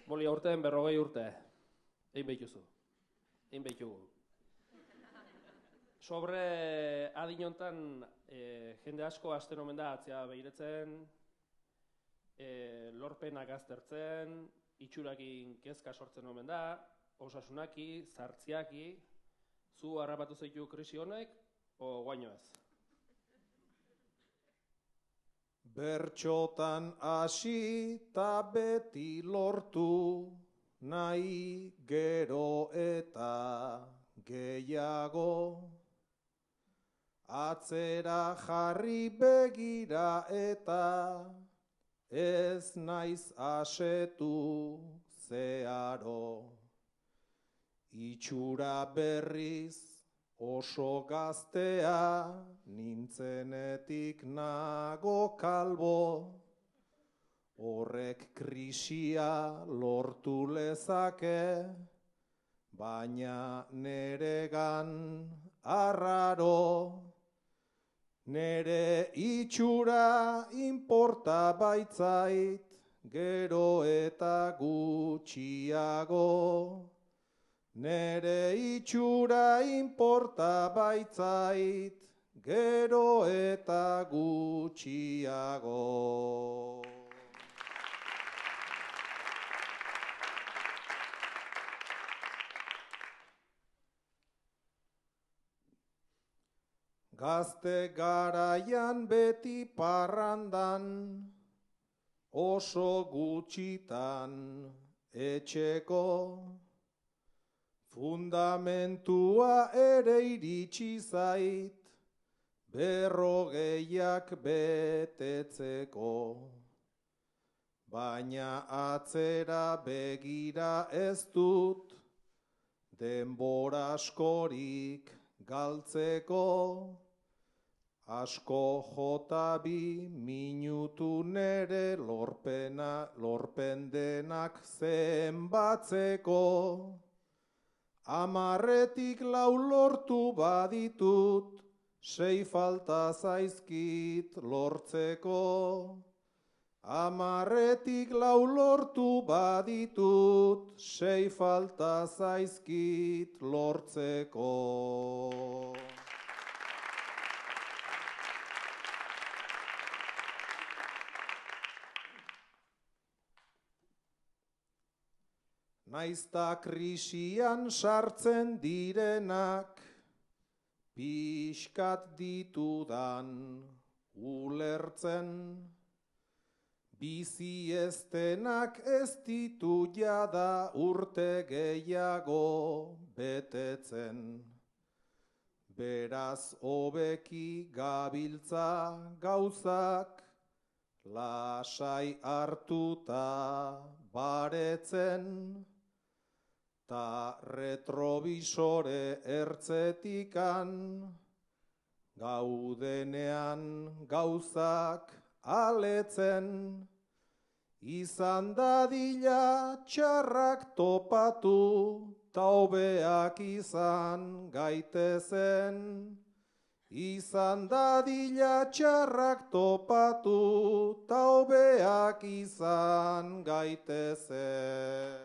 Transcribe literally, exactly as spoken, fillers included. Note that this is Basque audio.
Boli aurten berrogei urte. Egin behituzu. Egin behitugu. Sobre adinontan e, jende asko hasten omen da atzea behiretzen, e, lorpenak aztertzen, itxurakin kezka sortzen omen da, osasunaki, zartziaki, zu harrapatu zaitu krisi honek, o guaino ez? Bertxotan hasi ta beti lortu, nahi gero eta gehiago. Atzera jarri begira eta ez naiz asetu zeharo. Itxura berriz oso gaztea nintzenetik nago kalbo. Horrek krisia lortu lezake, baina neregan arraro. Nere itxura inporta baitzait, gero eta gutxiago. Nere itxura inporta baitzait, gero eta gutxiago. Gazte garaian beti parrandan, oso gutxitan etxeko. Fundamentua ere iritsi zait, berrogeiak betetzeko. Baina atzera begira ez dut, denbora askorik galtzeko. Asko jota bi minutu nere lorpena, lorpen denak zenbatzeko. Amarretik lau lortu baditut, sei falta zaizkit lortzeko. Amarretik lau lortu baditut, sei falta zaizkit lortzeko. Naizta krisian sartzen direnak, pixkat ditudan ulertzen. Bizi eztenak ez ditu jada urte gehiago betetzen. Beraz hobeki gabiltza gauzak, lasai hartuta baretzen. Ta retrovisore ertzetikan, gaudenean gauzak aletzen. Izan dadila txarrak topatu, ta hobeak izan gaitezen. Izan dadila txarrak topatu, ta hobeak izan gaitezen.